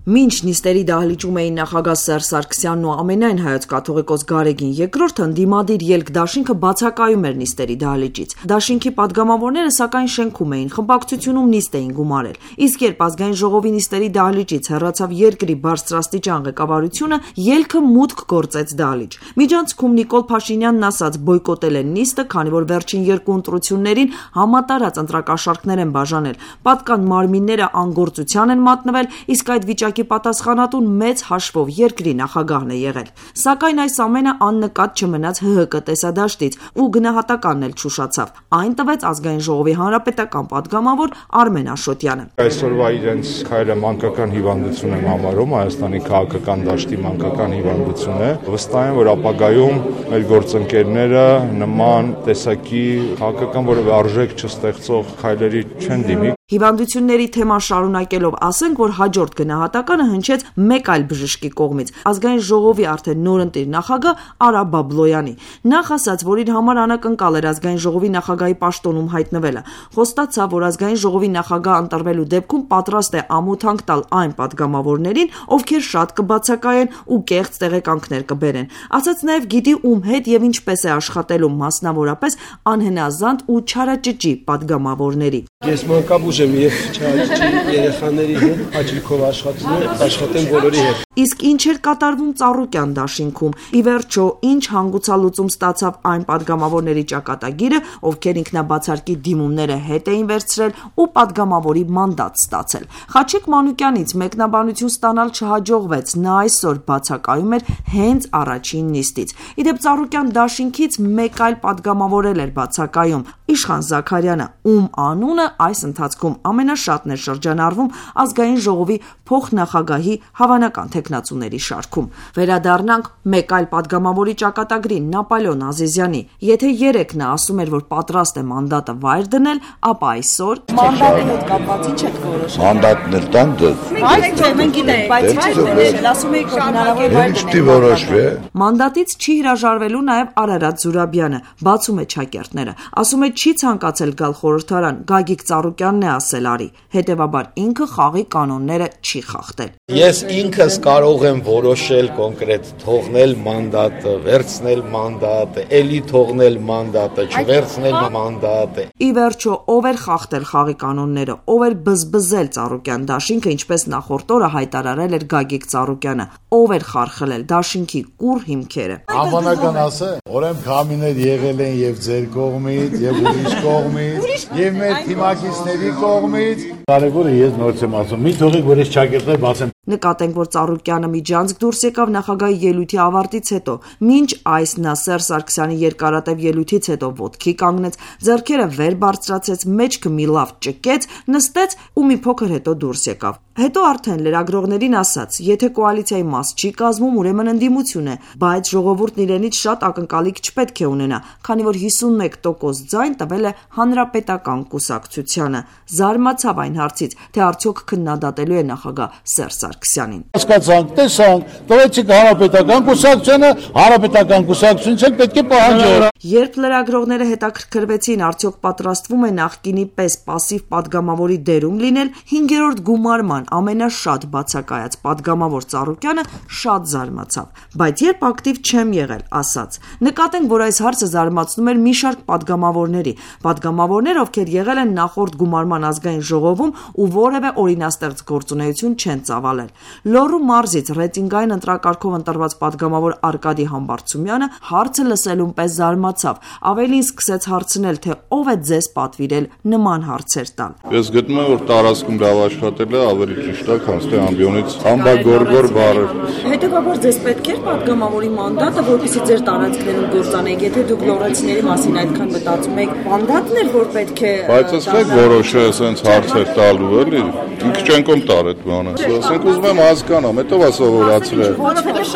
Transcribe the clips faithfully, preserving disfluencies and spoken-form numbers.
Մինչ նիստերի դահլիճում էին նախագահ Սերժ Սարգսյանն ու ամենայն հայոց կաթողիկոս Գարեգին երկրորդը, ընդդիմադիր ելք դաշինքը բացակայում էր նիստերի դահլիճից։ Դաշինքի պատգամավորները սակայն շենքում էին, խմբակցությունում նիստ էին գումարել։ Իսկ երբ ազգային ժողովի նիստերի դահլիճից հեռացավ երկրի բարձրաստիճան ղեկավարությունը, ելքը մուտք գործեց դահլիճ։ Միջանցքում Նիկոլ Փաշինյանն ասաց բոյկոտել են նիստը, քանի որ վերջին երկու ընտրություններին համատարած ընտրակաշառքներ են բաժանել։ Պատկան մարմինները անգործության են մատնվել, իսկ այդ վիճակի պատասխանատուն մեծ հաշվով երկրի նախագահն է եղել։ Սակայն այս ամենը աննկատ չմնաց Հ Հ Կ տեսադաշտից ու գնահատականն էլ չուշացավ։ Այն տվեց ազգային ժողովի հանրապետական պատգամավոր Արմեն Աշոտյանը։ Այսօրվա իրենց քայլը մանկական հիվանդություն եմ համարում, Հայաստանի քաղաքական դաշտի մանկական հիվանդություն է։ Վստահ եմ, որ ապագայում մեր գործընկերները նման տեսակի քաղաքական որևէ արժեք չստեղծող քայլերի չեն դիմի։ Հիվանդությունների թեման շարունակելով ասենք, որ հաջորդ գնահատականը հնչեց մեկ այլ բժշկի կողմից, ազգային ժողովի արդեն նորընտիր նախագահ Արա Բաբլոյանի։ Նախ ասաց, որ իր համար անակնկալ էր ազգային ժողովի նախագահի պաշտոնում հայտնվելը։ Խոստացավ, որ ազգային ժողովի նախագահ ընտրվելու դեպքում պատրաստ է ամոթանք տալ այն պատգամավորներին, ովքեր շատ կբացակայեն ու կեղծ տեղեկանքներ կբերեն։ Ասաց նաև գիտի ում հետ եւ ինչպես է աշխատելու, մասնավորապես անհնազանդ ու չարաճճի պատգամավորների։ Ես մանկաբույժ եմ եւ չարաճճի երեխաների հետ հաճույքով աշխատում աշխատեմ բոլորի հետ։ Իսկ ինչ էր կատարվում Ծառուկյան դաշինքում։ Ի վերջո, ինչ հանգուցալուծում ստացավ այն պատգամավորների ճակատագիրը, ովքեր ինքնաբացարկի դիմումները հետ էին վերցրել ու պատգամավորի մանդատ ստացել։ Խաչիկ Մանուկյանից մեկնաբանություն ստանալ չհաջողվեց, նա այսօր բացակայում էր հենց առաջին նիստից։ Իդեպ Ծառուկյան դաշինքից մեկ այլ պատգամավոր էր բացակայում՝ Իշխան Զաքարյանը, ում անունը այս ընթացքում ամենաշատն է շրջանառվում ազգային ժողովի փոխնախագահի հավանական թեկնածուների շարքում։ Վերադառնանք մեկ այլ պատգամավորի ճակատագրին՝ Նապոլեոն Ազիզյանի։ Եթե երեկ նա ասում էր, որ պատրաստ է մանդատը վայր դնել, ապա այսօր մանդատի հետ կապված ինչ եք որոշել։ Մանդատն էլ տան դե։ Բայց չէ, մենք գիտենք, բայց ինչ եք որոշել, ասում եք, որ հնարավոր է վայր դնել։ Որոշվի։ Մանդատից չի հրաժարվելու նաև Արարատ Զուրաբյանը, բացում է չակերտները։ Ասում է չի ցանկացել գալ խորհրդարան, Գագիկ Ծառուկյանն է ասել արի, հետևաբար ինքը խաղի կանոնները չի խախտել։ Ես ինքս կարող եմ որոշել կոնկրետ թողնել մանդատը, վերցնել մանդատը, էլի թողնել մանդատը, չվերցնել մանդատը։ Ի վերջո, ով էր խախտել խաղի կանոնները, ով էր բզբզել Ծառուկյան դաշինքը, ինչպես նախորդ օրը հայտարարել էր Գագիկ Ծառուկյանը, ով էր խարխլել դաշինքի կուռ հիմքերը։ Անվանական ասե, օրեմ քամիներ եղել են եւ ձեր կողմից, եւ ուրիշ կողմից, եւ մեր թիմակիցների կողմից։ Կարևորը ես նորից եմ ասում, մի թողեք, որ ես չակերտներ բացեմ։ Նկատենք, որ Ծառուկյանը միջանցք դուրս եկավ նախագահի ելույթի ավարտից հետո, մինչ այս նա Սերժ Սարգսյանի երկարատև ելույթից հետո ոտքի կանգնեց, ձեռքերը վեր բարձրացեց, մեջքը մի լավ ճկեց, նստեց ու մի փոքր հետո դուրս եկավ։ Հետո արդեն լրագրողներին ասաց, եթե կոալիցիայի մաս չի կազմում, ուրեմն ընդդիմություն է, բայց ժողովուրդն իրենից շատ ակնկալիք չպետք է ունենա, քանի որ հիսունմեկ տոկոս ձայն տվել է Հանրապետական կուսակցությանը։ Զարմացավ այն հարցից, թե արդյոք քննադատելու է նախագահ Սերժ Սարգսյանին։ Հասկացանք, տեսանք, տվեցիք Հանրապետական կուսակցությանը, Հանրապետական կուսակցությունից էլ պետք է պահանջել։ Երբ լրագրողները հետաքրքրվեցին, արդյոք պատրաստվում է նախկինի պես պասիվ պատգամավորի դերում լինել, հինգերորդ գումարման ամենաշատ բացակայած պատգամավոր Ծառուկյանը շատ զարմացավ, բայց երբ ակտիվ չեմ եղել, ասաց։ Նկատենք, որ այս հարցը զարմացնում էր մի շարք պատգամավորների, պատգամավորներ, ովքեր եղել են նախորդ գումարման ազգային ժողովում ու որևէ օրինաստեղծ գործունեություն չեն ծավալել։ Լոռու մարզից ռեյտինգային ընտրակարգով ընտրված պատգամավոր Արկադի Համբարձումյանը հարցը լսելուն պես զարմացավ, ավելին սկսեց հարցնել, թե ով է ձեզ պատվիրել նման հարցեր տալ։ Ես գտնում եմ, որ տարածքում լավ աշխատել է, ավելի ճիշտ է, քան թե ամբիոնից ամբագորգոր բառը։ Հետևաբար ձեզ պետք էր պատգամավորի մանդատը, որպեսզի ձեր տարածքներում գործանեք, եթե դուք լոռեցիների մասին այդքան մտածում եք, մանդատն էր, որ պետք է։ Բայց ասեք որոշը ասենց հարցեր տալու էլի։ Ինքը չենկոմ տար այդ բանը։ Ասենք ուզում եմ հասկանամ, հետո ասովորացրել։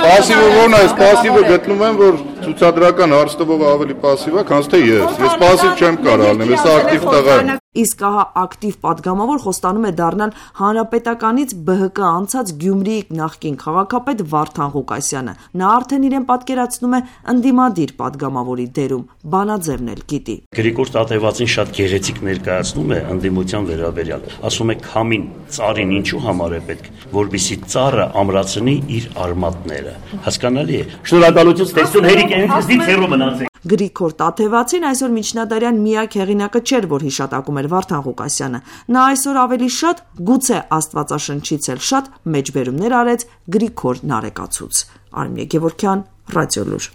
Պասիվը ո՞րն է, պասիվը գտնում եմ, որ ցուցադրական հարց տվող ավելի պասիվ է, քան թե ես։ Ես պասիվ չեմ կարող լինել, ես ակտիվ տղա եմ։ Իսկ ահա ակտիվ պատգամավոր խոստանում է դառնալ հանրապետականից Բ Հ Կ անցած Գյումրիի նախկին քաղաքապետ Վարդան Ղուկասյանը։ Նա արդեն իրեն պատկերացնում է ընդդիմադիր պատգամավորի դերում, բանաձևն էլ գիտի։ Գրիգոր Տաթևացին շատ գեղեցիկ ներկայացնում է ընդդիմության վերաբերյալ։ Ասում է քամին ծառին ինչու համար է պետք, որպեսզի ծառը ամրացնի իր արմատները։ Հասկանալի է։ Շնորհակալություն, ստեսություն, հերիք ինձնից հեռու մնացեք։ Գրիգոր Տաթևացին այսօր միջնադարյան միակ հեղինակը չէր, որ հիշատակում էր Վարդան Ղուկասյանը։ Նա այսօր ավելի շատ, գուցե Աստվածաշնչից էլ շատ մեջբերումներ արեց Գրիգոր Նարեկացուց։ Արմինե Գևորգյան, Ռադիոլուր։